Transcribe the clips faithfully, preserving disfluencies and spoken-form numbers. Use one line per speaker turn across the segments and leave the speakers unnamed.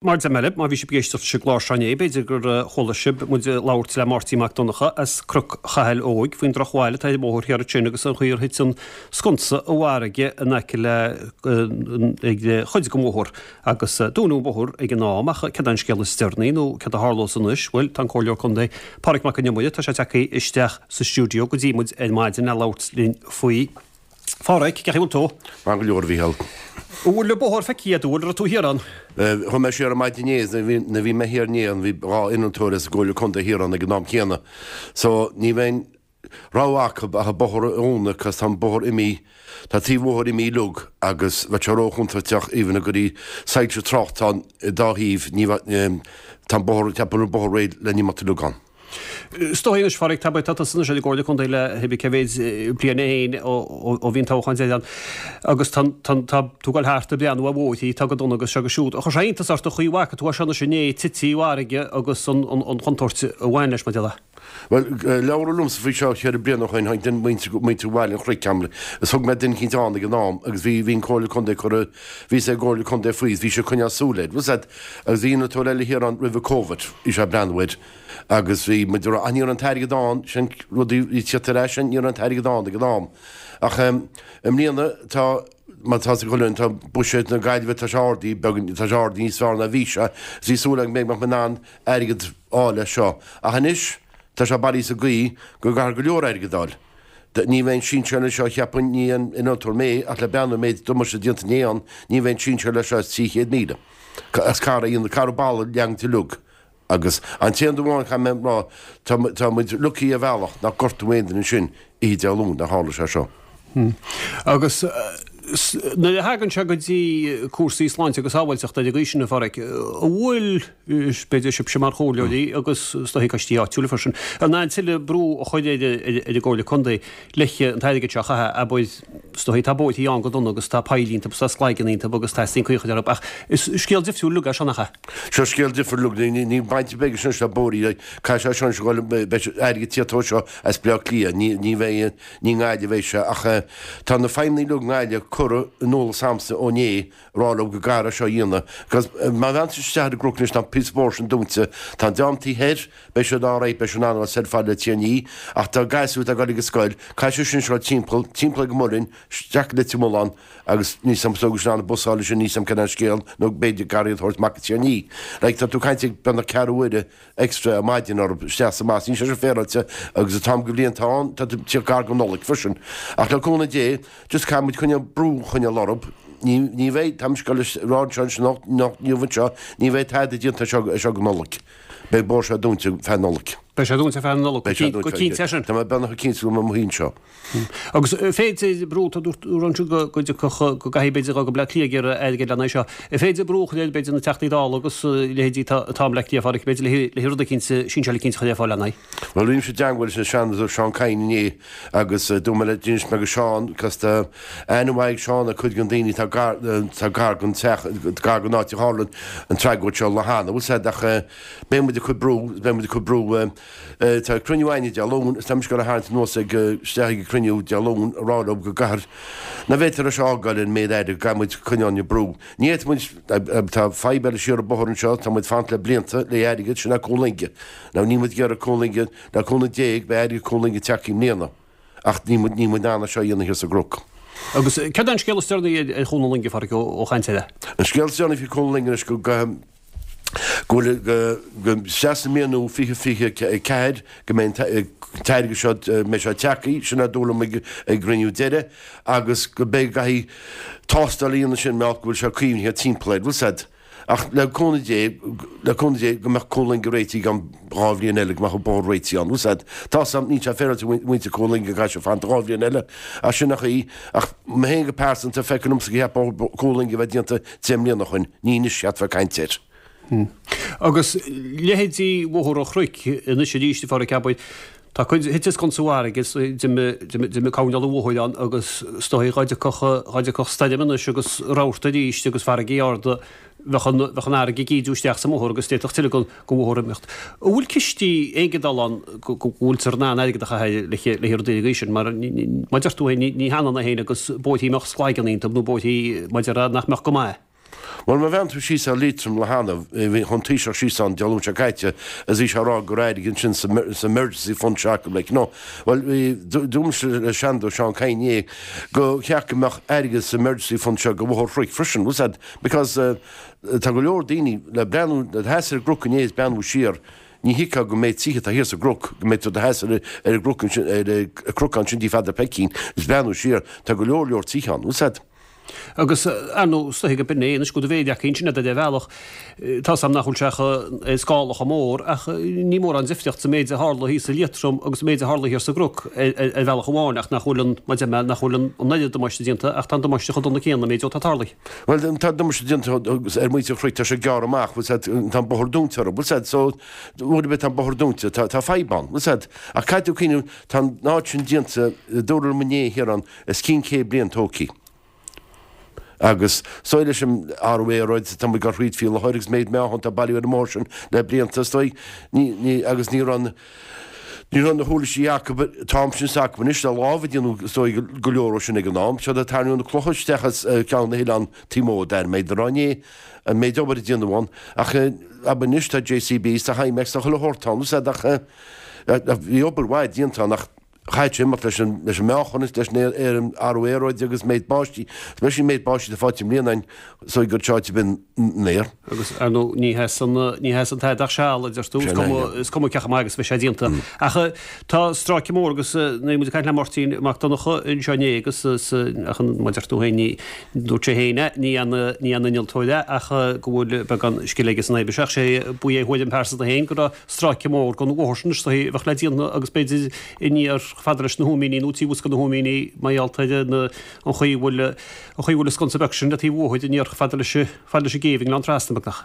Mar deir mé libh, má bhí sibh ag éisteacht leis an gclár seo inné, b'fhéidir gur chuala sibh muid ag labhairt le Máirtín Mac Donncha as Cnoc Chathail Óig faoin drochbhail atá ar an mbóthar thiar ansin agus an chaoi ar thit an sconsa i bhfarraige in aice le ag chuid den bhóthar agus dúnadh an bóthar ag an am ach céard é an scéal is deireanaí nó céard a tharlós anois? Bhuel, tá an Comhairleoir Contae Pádraig Mac Con Iomaire, tá sé tagtha isteach sa stiúideo go dtí muid ar maidin le labhairt linn faoi. Phádraig, cén chaoi a bhfuil tú?
Maith go leor, a Mhícheáil.
An bhfuil an bóthar feicthe agat, an bhfuil, raibh tú thiar ann?
Chuaigh mé siar ar maidin inné, nuair a bhí mé thiar inné ann, bhí dhá innealtóir as an gComhairle Contae thiar ann ag an am céanna. So, ní bheidh aon rogha acu ach an bóthar a dhúnadh cos tá an bóthar imithe, tá taobh an bhóthair imithe uilig agus bheadh sé róchontúirteach even a gcuirfí soilse tráchta ann dá thaobh, ní bheadh, tá an bóthar, ceapaim an bóthar réidh le n-imeacht uilig ann.
Is dóigh anois, Phádraig, tá tá tusa anois ar an gComhairle Contae le hibé cé mhéid bliain é féin ó bhí an toghchán deiridh ann agus tá tá tú ag dul thart ag breathnú ar bhóithrí atá go dona agus seo agus siúd. Chuir sé iontas ort an chaoi a bhfaca tú é seo anois inné tite i bhfarraige agus an an chontúirt a bhain leis, mar a déarfá.
Bhuel, labhradh liomsa faoi seo ceithre bliana ó shin, tháinig duine muintir muintir Bhaile an Chnoic agam is thug mé duine eicínt ann ag an am agus bhí bhí an Comhairle Contae curtha bhí sé ag gComhairle Contae faoi is bhí sé ag coinneáil súil air. Bhfuil a fhios agat agus bhí innealtóir eile thiar ann roimhe Covid, bhí sé ag breathnú air. Agus bhí muid ag rá, ach ní raibh an t-airgead ann, sin rudaí bhí tíocht ar ais sin, ní raibh an t-airgead ann ag an am. Ach i mbliana tá, mar tá a fhios ag chuile dhuine, tá buiséad na Gaillimhe, tá sé ardaithe beagán, tá sé ardaithe níos fearr ná bhí sé, is bhí súil agam go mbeadh mé in ann airgead a fháil leis seo. Ach anois tá sé bailithe sa gcaoi go gcaithfear go leor airgead a fháil. Ní bheidh an sinsear leis seo, cheapfainn, ní haon innealtóir mé, ach le breathnú an méid damáiste déanta inné ann, ní bheidh an sinsear leis seo as trí chéad míle. As caithfear a dhéanamh, caithfear balla a leagaint uilig. Agus an t-aon rud amháin caithfidh mé a rá, tá, tá muid lucky ar bhealach nach gortaíodh aon duine ansin oíche Dé Luain nuair a tharla sé seo.
Agus nuair a thagann sé go dtí cúrsaí sláinte agus sábháilteachta ar an gcaoi sin, a Phádraig, an bhfuil, b'fhéidir sibhse mar chomhairleoirí agus is dóichí coistí áitiúla freisin, in ann tuilleadh brú a chur ar ar an gComhairle Contae le an t-airgead seo a chaitheamh, abair, is dóichí tá bóithrí ann go dona agus tá poill iontu agus tá sclaigeanna iontu agus teastaíonn caoi a chur orthu ach is scéal difriúil uilig é seo, nach ea?
Seo scéal difriúil uilig, níl baint ar bith aige sin le bóithrí, caithfidh sé seo anois a dhul, beidh airgead tíocht ó seo as Bleá Cliath, ní, ní bheidh, ní i nGaillimh a bheidh sé ach tá na feidhmeannaigh uilig i nGaillimh curtha in eolas a'msa ó inné, rá leo go gcaithfear é seo a dhéanamh. Because má bheann tú isteach ar an gcnoc anois tá an píosa bóthair sin dúnta, tá an dream taobh thoir, beidh siad alright, beidh siad in ann a dhul soir fad le Tír an Fhia, ach tá gasúir atá ag dul ag an scoil, caithfidh siad sin siúl timpeall, timpeall ag an Muileann, isteach go Leitir Mealláin agus níl 's a'm is dóigh go bhfuil siad in ann an bus a fháil ansin, níl 's a'm cén an scéal, nó b'fhéidir garraí a thabhairt amach go Tír an Fhia. Like tá tú ag caint ag beagnach ceathrú uaire extra ar maidin orthu isteach is amach, níl sé sin féaráilte agus an t-am go bhliain atá ann, tá tú ag tíocht gar don Nollaig freisin. Ach le cúnamh Dé, just caithfidh muid coinneáil brú a choinneáil orthu. Ní, ní bheidh, tá mise ag dul a rá anseo anois anocht, anocht, inniu anseo, ní bheidh tada déanta anseo, anseo go Nollaig. Beidh bóthar seo dúnta feadh Nollaig.
Beidh sé dúnta feadh na Nollag, go
Beidh sé dúnta
go cinnte é sin.
Tá mé beagnach cinnte go mbeidh mo shuí anseo.
Agus féidir brú, tá dúirt tú ansin go go dtiocfadh, go gcaithfidh b'fhéidir dul go Bleá Cliath ag iarraidh airgead lena aghaidh seo. An féidir brú a chur ar b'fhéidir na Teachtaí Dála agus leithéidí atá atá i mBleá Cliath, a Phádraig, b'fhéidir le le rud eicínt, sinseáil eicínt a chur ar fáil lena aghaidh.
Bhuel, bhí mise i dteangmháil leis an Seanadóir Seán Kyne inné agus dúirt mé le, d'inis mé go Seán, cos tá aithne mhaith ag Seán ar cuid den daoine atá gar, atá gar don teach, gar don áit a tharla an tragóid seo lá cheana, bhfuil 's a'd, ach beidh muid ag cur brú, beidh muid ag cur brú, tá cruinniú a'inne Dé Luain is tá mise ag dul a tharraingt anuas ag, isteach ag an cruinniú Dé Luain a rá leo go gcaithfear, nach bhféadfar é seo a fhágáil an méid airgid, go gcaithfidh muid coinneáil an brú. Ní fhéadfaidh muid, tá fadhb eile siar an bóthar anseo, tá muid ag fanacht le blianta le airgead, sin é Cuan Loinge. Now níl muid ag iarraidh Cuan Loinge, le cúnamh Dé beidh airgead Cuan Loinge tagtha i mbliana ach níl muid, níl muid in ann é seo a dhéanamh thiar sa gcnoc.
Agus céard é an scéal is deireanaí ar Chuan na Loinge, a Phádraig, ó chaint eile?
An scéal is deireanaí faoi Chuan na Loinge anois go, go, go bhfuil, go, go, isteach sa mbliain nua fiche fiche a ceathair go mbeidh an t-airgead seo, mbeidh sé tagtha, sin a dúradh liom ag, ag an gcruinniú deiridh agus go mbeidh, go gcaithfidh tástáil a dhéanamh sin mar go bhfuil sé caomhnaithe timpeall air, bhfuil 's a'd. Ach le cúnamh Dé, le cúnamh Dé, go mbeadh Cuan Loinge réitithe i gceann dhá bhliain eile, go mbeadh an bóthar réitithe ann. Bhfuil 's a'd, tá 's a'm, níl sé féaráilte muintir Cuan Loinge go gcaithfidh siad fanacht dhá bhliain eile, ach sin an chaoi. Ach mé féin go pearsanta, feictear liomsa gur cheart bóthar Cuan Loinge a bheith déanta deich mbliana ó shin, ní anois cheart bheith ag caint air.
Agus leithéidí Bhóthar an Chnoic anois arís, a Phádraig, abair, tá cuid thit an sconsa i bhfarraige is d'imigh coirnéal an bhóthair ann agus is dóigh dhá dtiocfadh, dhá dtiocfadh stoirm anois agus rabharta arís agus farraigí arda, bheadh an, bheadh an fharraige ag ídiú isteach sa mbóthar agus d'fhéadfadh tuilleadh den, den bhóthar imeacht. An bhfuil cistí éigeandála ann go, go bhfuiltear in ann airgead a chaitheamh le, le rudaí den gcaoi sin mar mar deir tú féin, ní, ní hionann é féin agus bóithrí a mbeadh sclaigeanna iontu nó bóithrí mar a déarfá nach mbeadh go maith.
Bhuel, má bhreathnaíonn tú síos ar Liatroim le hannamh, bhí an Taoiseach síos ann Dé Luain seo caite is bhí sé ag rá go raibh airgead ansin sa emergency fund seo acu, like, you know. Bhuel, bhí, dúirt mise le Seanadóir Seán Kyne inné go cheart go mbeadh airgead sa emergency fund seo go Bhóthar Chnoic freisin, bhfuil 's a'd, because tá go leor daoine le breathnú, le sheasamh ar an gcnoc inné is breathnú siar, ní thuigfeá go méid tithe atá thiar sa gcnoc, go mbeidh tú do sheasamh ar an gcnoc ansin, ar an gcnoc ansin dtí Pheadar Peicín is breathnú siar, tá go leor leor tithe ann, bhfuil 's a'd.
Agus, ar ndóigh, is dóiche go b'in é anois go bhféadfadh acu sin ar bhealach, tá 's a'm nach bhfuil sé ar scála chomh mór, ach ní mórán difríocht sa méid a tharla thíos i Liatroim agus an méid a tharla thiar sa gCnoc ar bhealach amháin, ach nach bhfuil an, mar a deir mé, nach bhfuil an oiread damáiste déanta, ach tá an damáiste chomh dona céanna, méid atá tarlaithe.
Bhuel, tá damáiste déanta ar mhuintir an Chnoic, tá sé gearrtha amach, bhfuil 's a'd, tá an bóthar dúnta orthu, bhfuil 's a'd, so, uair ar bith tá an bóthar dúnta, tá, tá fadhb ann, bhfuil 's a'd. Ach caithfidh tú cuimhneamh, tá an áit sin déanta, dúradh liom inné thiar ann, os cionn céad bliain tógtha. Agus is dóigh leis an athrú aeráide, tá muid ag dul thríd faoi láthair agus méid meáchan atá bailithe ar an mbóthar sin le blianta, is dóigh, ní, ní, agus ní raibh an, ní raibh na huirlisí acu an t-am sin is acu anois le lámh a déanamh is dóigh go leor ó sin ag an am. Siad ag tarraingt na clocha isteach as Ceann na hOileán taobh amuigh d'Airméid a rá inné an méid obair a déanadh ann ach ab anois tá JCBs, tá Hi-Macs, tá chuile shórt ann, ach bhí obair mhaith déanta ann ach Chaithfeadh sé imeacht leis an leis an meáchan is leis an athrú aeráide agus méid báistí, especially méid báistí atá faighte i mbliana againn so gur tráite binn an aer.
Agus, ar ndóigh, ní sheasann ní sheasann tada ach seal, a deir tú, is cuma is cuma cé chomh maith agus a bheidh sé déanta. Ach tá stráice mór agus nuair muid ag caint le Máirtín Mac Donncha anseo inné agus ach an mar a deir tú féin ní dúirt sé féin é, ní an ní an innealtóir é ach go bhfuil beagán scil aige san oibre seo ach sé ba é a thuairim pearsanta féin go raibh stráice mór den bhóthar sin is dóichí a bheadh le déanamh agus b'fhéidir aniar fada leis na hÚimíní nó taobh thuas de na hÚimíní mar gheall ar na an chaoi a bhfuil an chaoi a bhfuil an sconsa beag sin le taobh uathu aniar fada leis fada leis an gcéibh i nGleann Trasna beagnach.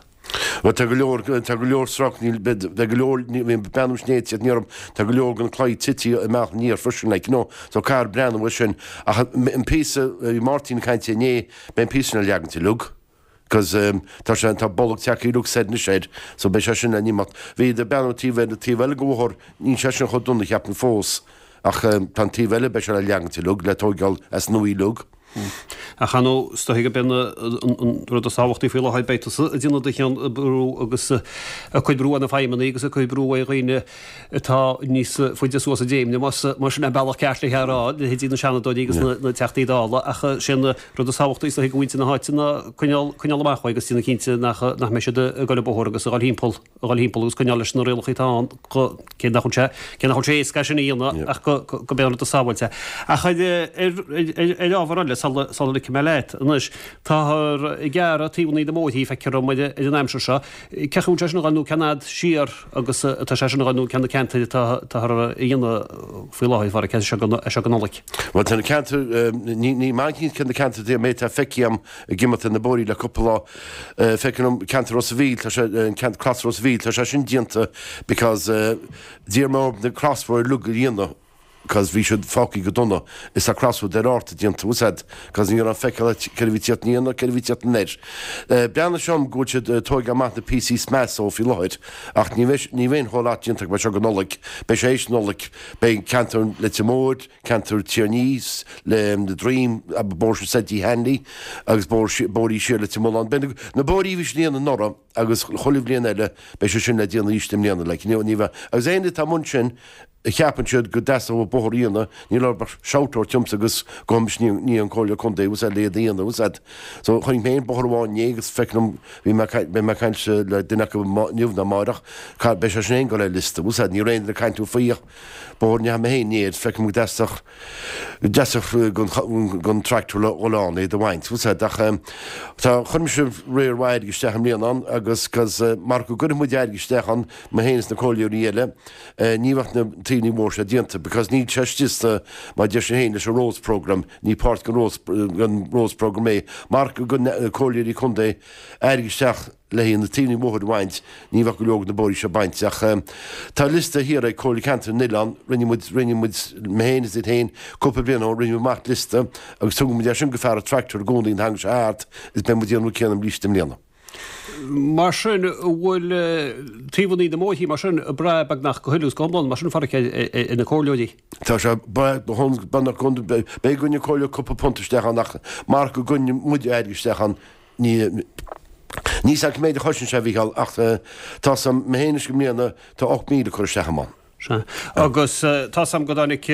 Bhuel tá go leor tá go leor srac níl beidh go leor ní bhíonn breathnú snéite ní orm tá go leor den claí tite amach aniar freisin like you know so caithfear breathnú air sin ach an píosa bhí Máirtín ag caint inné beidh an píosa sin le leagaint uilig. 'Cause tá sé, tá bolg tagtha uilig soir anois air, so beidh sé sin le n-imeacht. Bhí ag breathnú taobh eile, taobh eile den bhóthar, níl sé sin chomh dona cheapfainn fós, ach tá an taobh eile, beidh sé le leagaint uilig, le tóigeáil as nua uilig.
Ach ar ndóigh, is dóichí gurb é an rud is tábhachtaí faoi láthair, beidh tusa ag déanamh do chion ag brú agus ag cur brú ar na feidhmeannaigh agus ag cur brú ar dhaoine atá níos faide suas i dcéimeanna, más sin an bealach ceart le é a rá, leithéidí na Seanadóirí agus na Teachtaí Dála, ach sé an rud is tábhachtaí is dóichí do mhuintir na háite ná coinneáil coinneáil amach uaidh agus déanamh cinnte nach nach mbeidh siad ag dul an bóthar agus a dhul thimpeall a dhul thimpeall agus coinneáil leis na rialacha atá ann go cé nach bhfuil sé cé nach bhfuil sé éasca é sin a dhéanamh ach go go b'é an rud is sábháilte. Ach ar ar ar ábhar eile sula sula ligfidh mé leat anois táthar ag gearradh taobhanna na mbóithrí feictear dom ar ar an aimsir seo. Cén chaoi a bhfuil sé sin a dhul nó cén fhad siar agus atá sé sin a dhul nó cé na ceantair atá atáthar a dhéanamh faoi láthair fara cé seo go seo go Nollaig.
Bhuel tá na ceantair, ní ní maith cé na ceantair a méid atá feicthe agam ag imeacht ar na bóithrí le cúpla lá. Feicim an ceantar Ros a' Mhíl, tá sé, an ceantar Cros Ros a' Mhíl, tá sé sin déanta because d'iarr mé orthu na crossroad uilig a dhéanamh because bhí siad fágtha go dona is tá crossroad ar Fhárta déanta, bhfuil 's a'd, because ní raibh feiceáil céard a bhí ag tíocht aniar ná céard a bhí ag tíocht anoir. Breathnaíonn sé dom go bhfuil siad ag tóigeáil amach na píosaí is measa faoi láthair ach ní bheidh ní bheidh an whole lot déanta acu seo go Nollaig, beidh sé éis Nollaig, beidh ceantar Leitir Móir, ceantar Tír an Fhia, le na Droim, bóthar sin soir dtí Hanley agus bóithrí siar Leitir Mealláin. Beidh na bóithrí a bhí siad a dhéanamh anuraidh agus chuile bhliain eile beidh sé sin le déanamh arís i mbliana like ní bheidh agus aon duine atá amuigh ansin a cheapann siad go dteastódh bóthar a dhéanamh níl orthu ach shout a thabhairt dhomsa agus gabhfaidh mise go dtí an Comhairle Contae bhfuil 's a'd le iad a dhéanamh bhfuil 's a'd so chonaic mé aon bóthar amháin inné agus feicim liom bhí mé beidh mé ag caint le duine acu inniu nó amáireach beidh sé sin féin ag dul ar liosta bhfuil 's a'd ní raibh aon duine ag caint faoi ach Bóthar a ndeachaigh mé féin air, feicim go dteastódh, go dteastódh don tractor le dhul ann é do bhaint, bhfuil 's a'd, ach tá, chuir mise riar mhaith airgid isteach i mbliana ann agus 'cause mar go gcuirfidh muid airgead isteach ann, mé féin is na comhairleoirí eile, ní bheadh na taobhanna bóthair seo déanta because níl sé istigh sna, mar deir sé féin leis an Roads Programme, ní páirt den Roads, den Roads Programme é, mar go gcuireann comhairleoirí contae airgead isteach le haghaidh na taobhanna bóthair a bhaint, ní bheadh go leor de na bóithrí seo bainte. Ach tá liosta thiar ag Comhairle Ceantair na nOileán, rinne muid, rinne muid, mé féin is iad féin, cúpla bliain ó shin, rinne muid amach liosta agus tugann muid é sin go fear an tractor i gcónaí nuair a thagann sé thart is beidh muid ag déanamh an rud céanna arís i mbliana.
Mar sin, an bhfuil taobhanna na mbóithrí mar sin ag brath beagnach go huile is go hiomlán mar sin, a Pháraic, ar na comhairleoirí?
Tá sé beagnach go hiomlán, beidh go gcuireann an comhairle cúpla punt isteach ann ach mar go gcuireann muid airgead isteach ann, ní Níl 's a'm cé méid a chosain sé a Mhícheáil ach tá 's a'm mé féin anois i mbliana tá ocht míle curtha isteach a'm ann.
Sea. Agus tá 's a'm go dtáinig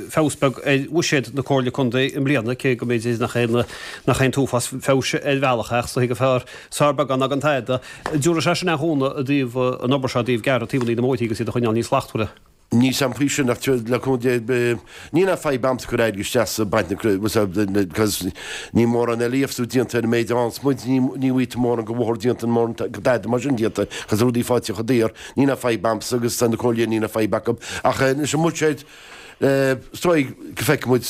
feabhas beag ar bhuiséad na Comhairle Contae i mbliana, cé go mb'fhéidir nach aon nach aon t-uafás feabhais ar bhealach é ach is dóigh gur fearr sár beagán ná gan tada. Dtabharfaidh sé sin aon chúnamh i dtaobh an obair seo i dtaobh gearradh taobhanna na mbóithrí agus iad a choinneáil níos slachtmhaire?
Níl 's a'm faoi sin ach le cúnamh Dé níl aon fadhb a'msa cur airgead isteach sa baint na cos níl mórán eile fhios déanta ar an méid a fhaigheanns muid, ní ní bhfaighidh tú mórán go bhóthar déanta mórán go dada mar sin déanta cos rudaí faighte chomh daor, níl aon fadhb a'msa agus tá na comhairle níl aon fadhb acu ach leis an mbuiséad is dóigh go bhfeicfidh muid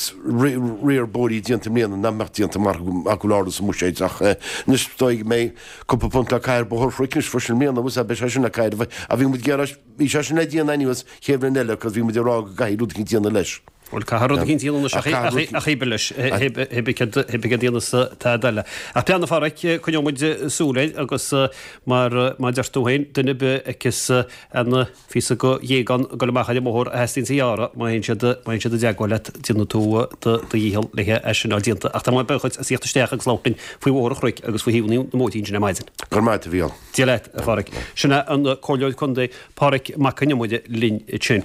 riar bóithrí déanta i mbliana nach mbeadh déanta mar go bhfuil ardú sa mbuiséad ach anois is dóigh go mbeidh cúpla punt le caitheamh ar Bhóthar Chnoic anois freisin i mbliana beidh sé sin le caitheamh a bhí muid ag iarraidh Bhí sé sin le déanamh anyways chéad bhliain eile cos bhí muid ag rá go gcaithfidh rud eicínt déanamh leis.
Bhuel, caithfidh rud eicínt déanamh anois ach hé leis, hé céard a dhéanfas tada eile. Ach plean a Pháraic, coinneoidh muid súil air agus mar mar deir tú féin, duine ar bith a fheiceas aon phíosa go ghéagán ag dul amach ar an mbóthar a theastaíonns a ghearradh, má théann siad má théann siad i dteagmháil leat, déanfaidh tú do dhícheall le é sin a fháil déanta. Ach tá mé buíoch duit as theacht isteach agus labhairt linn faoi Bhóthar an Chnoic agus faoi thaobhanna na mbóithrí ansin ar maidin.
Go raibh maith agat, a Mhícheáil.
Dia leat, a Pháraic. Sin é an Comhairleoir Contae Páraic Mac Con Iomaire linn ansin.